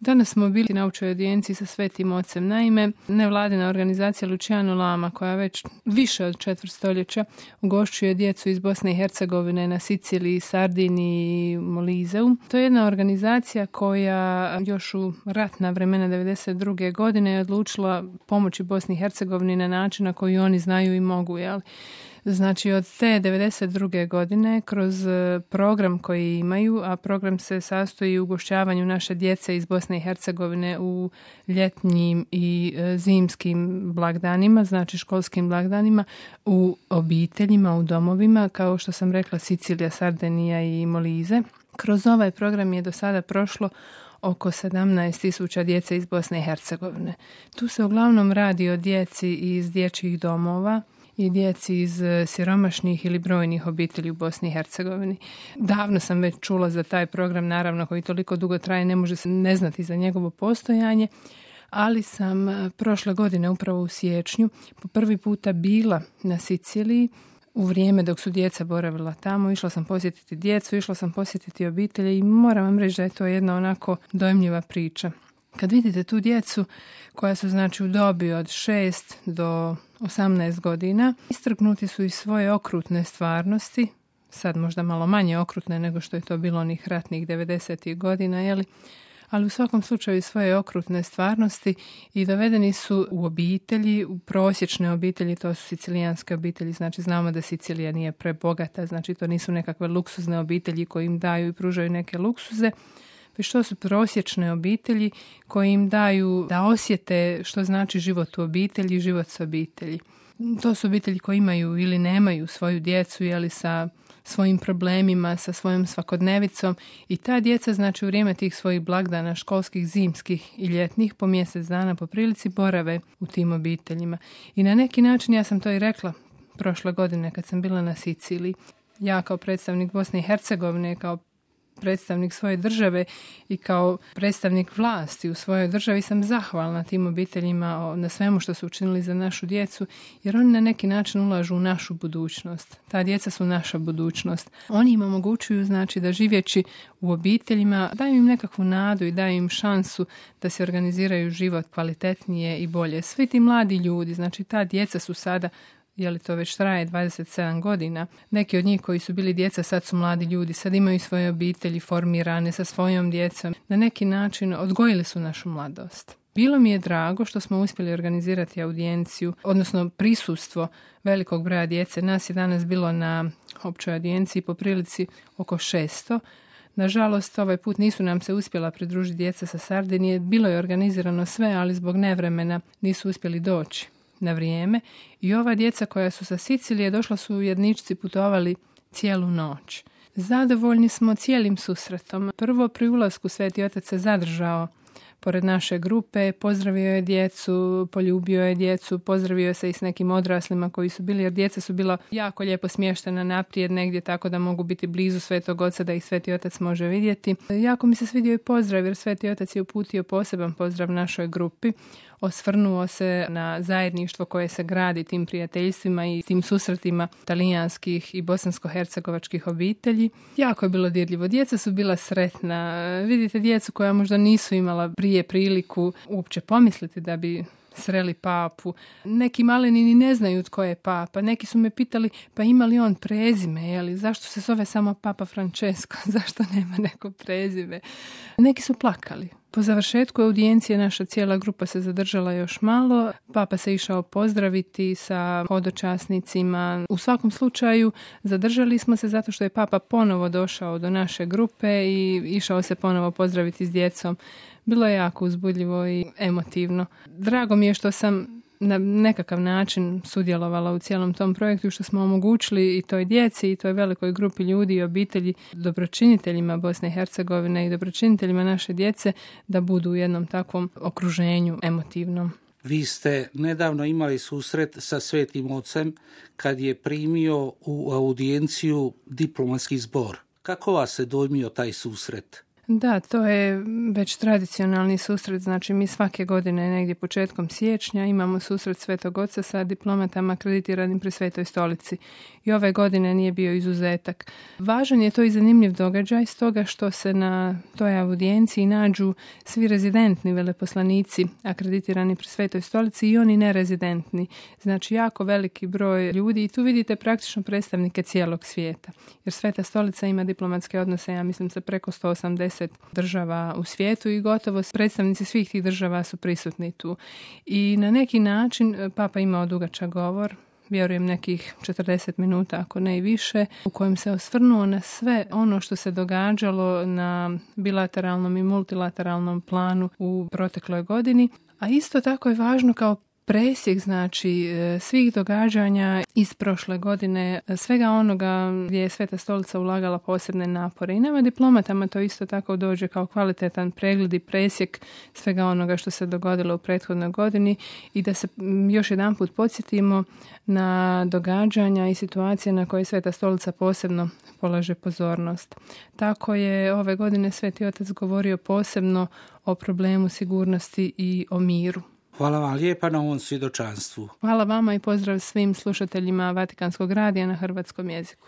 Danas smo bili na općoj audijenciji sa Svetim Ocem. Naime, nevladina organizacija Luciano Lama, koja već više od 4 stoljeća ugošćuje djecu iz Bosne i Hercegovine na Siciliji, Sardiniji i Molizeu. To je jedna organizacija koja još u ratna vremena 1992. godine je odlučila pomoći Bosni i Hercegovini na način na koji oni znaju i mogu, jel? Znači od te 1992. godine kroz program koji imaju, a program se sastoji u ugošćavanju naše djece iz Bosne i Hercegovine u ljetnjim i zimskim blagdanima, znači školskim blagdanima, u obiteljima, u domovima, kao što sam rekla Sicilija, Sardinija i Molize. Kroz ovaj program je do sada prošlo oko 17.000 djece iz Bosne i Hercegovine. Tu se uglavnom radi o djeci iz dječjih domova i djeci iz siromašnih ili brojnih obitelji u Bosni i Hercegovini. Davno sam već čula za taj program, naravno koji toliko dugo traje, ne može se ne znati za njegovo postojanje, ali sam prošle godine, upravo u siječnju, po prvi puta bila na Siciliji u vrijeme dok su djeca boravila tamo. Išla sam posjetiti djecu, išla sam posjetiti obitelje i moram vam reći da je to jedna onako dojmljiva priča. Kad vidite tu djecu koja su znači u dobi od 6 do 18 godina, istrgnuti su iz svoje okrutne stvarnosti, sad možda malo manje okrutne nego što je to bilo onih ratnih 90. godina, jeli? Ali u svakom slučaju svoje okrutne stvarnosti i dovedeni su u obitelji, u prosječne obitelji, to su sicilijanske obitelji, znači znamo da Sicilija nije prebogata, znači to nisu nekakve luksuzne obitelji koji im daju i pružaju neke luksuze, već to su prosječne obitelji koji im daju da osjete što znači život u obitelji, život s obitelji. To su obitelji koji imaju ili nemaju svoju djecu, jeli sa svojim problemima, sa svojom svakodnevicom i ta djeca znači u vrijeme tih svojih blagdana, školskih, zimskih i ljetnih, po mjesec dana po prilici borave u tim obiteljima. I na neki način, ja sam to i rekla prošle godine kad sam bila na Siciliji, ja kao predstavnik Bosne i Hercegovine, kao predstavnik svoje države i kao predstavnik vlasti u svojoj državi sam zahvalna tim obiteljima na svemu što su učinili za našu djecu, jer oni na neki način ulažu u našu budućnost. Ta djeca su naša budućnost. Oni im omogućuju znači da živjeći u obiteljima daju im nekakvu nadu i daju im šansu da se organiziraju život kvalitetnije i bolje. Svi ti mladi ljudi, znači ta djeca su sada, je li to već traje 27 godina. Neki od njih koji su bili djeca sad su mladi ljudi, sad imaju svoje obitelji formirane sa svojom djecom. Na neki način odgojili su našu mladost. Bilo mi je drago što smo uspjeli organizirati audijenciju, odnosno prisustvo velikog broja djece. Nas je danas bilo na općoj audijenciji po prilici oko 600. Nažalost, ovaj put nisu nam se uspjela pridružiti djeca sa Sardinije. Bilo je organizirano sve, ali zbog nevremena nisu uspjeli doći na vrijeme. I ova djeca koja su sa Sicilije došla su u jedničci, putovali cijelu noć. Zadovoljni smo cijelim susretom. Prvo pri ulasku Sveti Otac se zadržao pored naše grupe, pozdravio je djecu, poljubio je djecu, pozdravio se i s nekim odraslima koji su bili, jer djeca su bila jako lijepo smještena naprijed negdje tako da mogu biti blizu Svetog Oca, da ih Sveti Otac može vidjeti. Jako mi se svidio i pozdrav, jer Sveti Otac je uputio poseban pozdrav našoj grupi. Osvrnuo se na zajedništvo koje se gradi tim prijateljstvima i tim susretima talijanskih i bosansko-hercegovačkih obitelji. Jako je bilo dirljivo. Djeca su bila sretna. Vidite djecu koja možda nisu imala prije priliku uopće pomisliti da bi sreli papu. Neki maleni ni ne znaju tko je papa. Neki su me pitali pa ima li on prezime, jeli? Zašto se zove samo Papa Francesco? Zašto nema neko prezime? Neki su plakali. Po završetku audijencije naša cijela grupa se zadržala još malo. Papa se išao pozdraviti sa hodočasnicima. U svakom slučaju zadržali smo se zato što je Papa ponovo došao do naše grupe i išao se ponovo pozdraviti s djecom. Bilo je jako uzbudljivo i emotivno. Drago mi je što sam na nekakav način sudjelovala u cijelom tom projektu, što smo omogućili i toj djeci i toj velikoj grupi ljudi i obitelji, dobročiniteljima Bosne i Hercegovine i dobročiniteljima naše djece da budu u jednom takvom okruženju emotivnom. Vi ste nedavno imali susret sa Svetim Ocem kad je primio u audijenciju diplomatski zbor. Kako vas se dojmio taj susret? Da, to je već tradicionalni susret, znači mi svake godine negdje početkom siječnja imamo susret Svetog Oca sa diplomatama akreditiranim pri Svetoj stolici. I ove godine nije bio izuzetak. Važan je to i zanimljiv događaj stoga što se na toj audijenciji nađu svi rezidentni veleposlanici akreditirani pri Svetoj stolici i oni nerezidentni. Znači jako veliki broj ljudi i tu vidite praktično predstavnike cijelog svijeta. Jer Sveta stolica ima diplomatske odnose, ja mislim, sa preko 180 država u svijetu i gotovo predstavnici svih tih država su prisutni tu. I na neki način Papa imao dugačak govor, vjerujem nekih 40 minuta, ako ne i više, u kojem se osvrnuo na sve ono što se događalo na bilateralnom i multilateralnom planu u protekloj godini. A isto tako je važno kao presjek, znači, svih događanja iz prošle godine, svega onoga gdje je Sveta stolica ulagala posebne napore. I nama diplomatama to isto tako dođe kao kvalitetan pregled i presjek svega onoga što se dogodilo u prethodnoj godini i da se još jedanput podsjetimo na događanja i situacije na koje Sveta stolica posebno polaže pozornost. Tako je ove godine Sveti Otac govorio posebno o problemu sigurnosti i o miru. Hvala vam lijepa na ovom svjedočanstvu. Hvala vama i pozdrav svim slušateljima Vatikanskog radija na hrvatskom jeziku.